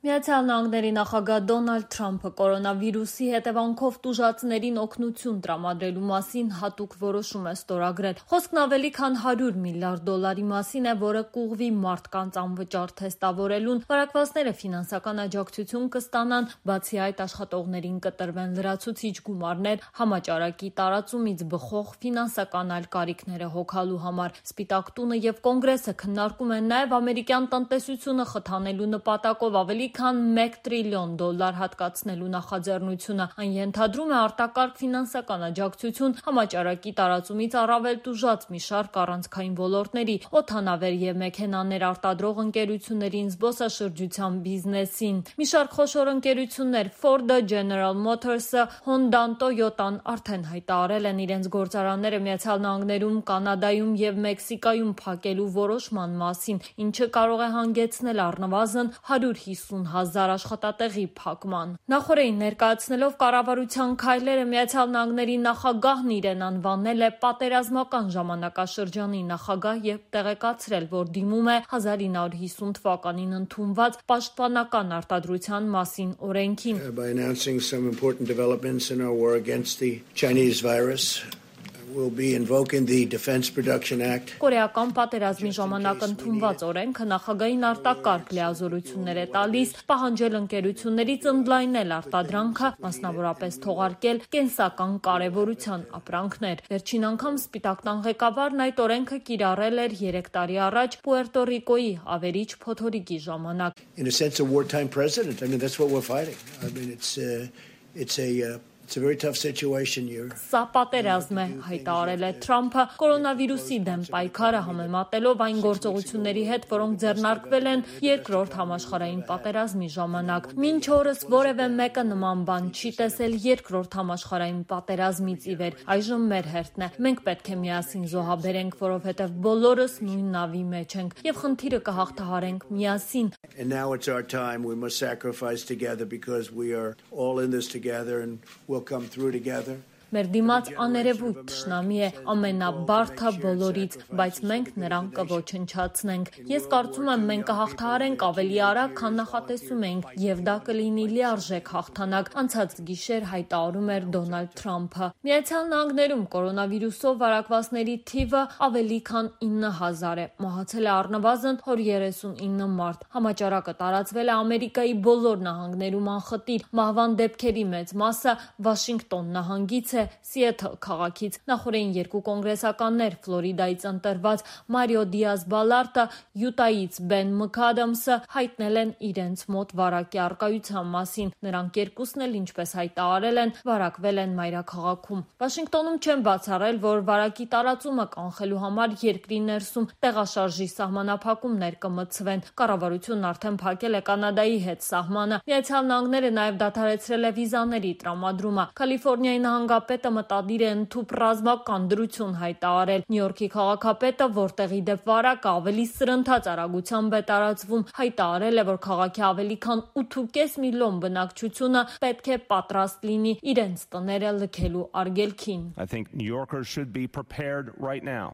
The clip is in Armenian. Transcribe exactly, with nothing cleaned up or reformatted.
Միացյալ Նահանգների նախագահ Դոնալդ Թրամփը կորոնավիրուսի հետևանքով տուժածներին օգնություն տրամադրելու մասին հատուկ որոշում է ստորագրել։ Խոսքն ավելի քան հարյուր միլիարդ դոլարի մասին է, որը կուղղվի մարդկանց անվճար թեստավորելուն, վարակվածները ֆինանսական աջակցություն կստանան, բացի այդ աշխատողներին կտրվեն լրացուցիչ գումարներ համաճարակի տարածումից բխող ֆինանսական այլ կարիքները հոգալու համար։ Սպիտակ տունը եւ Կոնգրեսը քննարկում են նաեւ ամերիկյան տնտեսությունը խթանելու նպատակով ավելի քան մեկ տրիլիոն դոլար հատկացնելու նախաձեռնությունը։ Այն ենթադրում է արտակարգ ֆինանսական աջակցություն համաճարակի տարածումից առավել տուժած մի շարք առանցքային ոլորտների, օդանավեր եւ մեքենաներ արտադրող ընկերություններին, զբոսաշրջության բիզնեսին։ Մի շարք խոշոր ընկերություններ՝ Ford-ը, General Motors-ը, Honda-ն, Toyota-ն արդեն հայտարարել են իրենց գործարանները Միացյալ Նահանգներում, Կանադայում եւ Մեքսիկայում փակելու որոշման մասին, ինչը կարող է հանգեցնել առնվազն հարյուր հիսուն հազար աշխատատեղի փակման։ Նախորդին ներկայացնելով կառավարության քայլերը Միացյալ Նահանգների նախագահն իրեն անվանել է պատերազմական ժամանակաշրջանի նախագահ եւ տեղեկացրել, որ դիմում է հազար ինը հարյուր հիսուն թվականին ընդունված պաշտպանական արտադրության մասին օրենքին։ By announcing some important developments in our war against the Chinese virus, we'll be invoking the Defense Production Act. Կորեական պատերազմի ժամանակ ընդունված օրենքը նախագահին արտակարգ լիազորություններ է տալիս, պահանջել ընկերություններից ընդլայնել արտադրանքը, մասնավորապես թողարկել կենսական կարևորության ապրանքներ։ Վերջին անգամ Սպիտակ տան ղեկավարն այդ օրենքը կիրառել էր երեք տարի առաջ Պուերտո Ռիկոյի ավերիչ փոթորիկի ժամանակ։ In a sense, a wartime president. I mean, that's what we're fighting. I mean, it's uh, it's a uh, It's a very tough situation here. Սա պատերազմ է, հայտարարել է Թրամփը կորոնավիրուսի դեմ պայքարը համեմատելով այն գործողությունների հետ, որոնք ձեռնարկվել են երկրորդ համաշխարհային պատերազմի ժամանակ։ Մինչ օրս որևէ մեկը նման բան չի տեսել երկրորդ համաշխարհային պատերազմից ի վեր։ Այժմ մեր հերթն է։ Մենք պետք է միասին զոհաբերենք, որովհետև բոլորս նույն նավի մեջ ենք եւ խնդիրը կհաղթահարենք միասին։ And now it's our time. We must sacrifice together because we are all in this together and we'll come through together. Մեր դիմաց աներևույթ թշնամի է, ամենաբարդը բոլորից, բայց մենք նրան կոչնչացնենք։ Ես կարծում եմ մենք կհաղթահարենք ավելի արագ, քան նախատեսում էինք, եւ դա կլինի լիարժեք հաղթանակ, անցած գիշեր հայտարարում էր Դոնալդ Թրամփը։ Միացյալ Նահանգներում կորոնավիրուսով վարակվածների թիվը ավելի քան ինը հազար է, մահացել է առնվազն հարյուր երեսունինը մարդ։ Համաճարակը տարածվել է Ամերիկայի բոլոր նահանգներում անխտիր, մահվան դեպքերի մեծ մասը Վաշինգտոն նահանգից է, Սիեթլ քաղաքից։ Նախորդին երկու կոնգրեսականներ Ֆլորիդայից ընտրված Մարիո Դիազ Բալարտը, Յուտայից Բեն Մքադամսը հայտնել են իրենց մոտ վարակի առկայության մասին։ Նրանք երկուսն էլ, ինչպես հայտարարել են, վարակվել են մայրաքաղաքում։ Վաշինգտոնում չեն բացառել, որ վարակի տարածումը կանխելու համար երկրի ներսում տեղաշարժի սահմանափակումներ կմտցվեն։ Կառավարությունն արդեն փակել է Կանադայի հետ սահմանը։ Միացյալ Նահանգները նաև դադարեցրել է վիզաների տրամադրումը։ Կալիֆոռնիայի նահանգապետը մտադիր է ընդհուպ ռազմական դրություն հայտարարել։ Նյու Յորքի քաղաքապետը, որտեղ ի դեպ վարակը ավելի սրընթաց արագությամբ է տարածվում, հայտարարել է, որ քաղաքի ավելի քան ութ ու կես միլիոն բնակչությունը պետք է պատրաստ լինի իրենց տները լքելու արգելքին։ I think New Yorkers should be prepared right now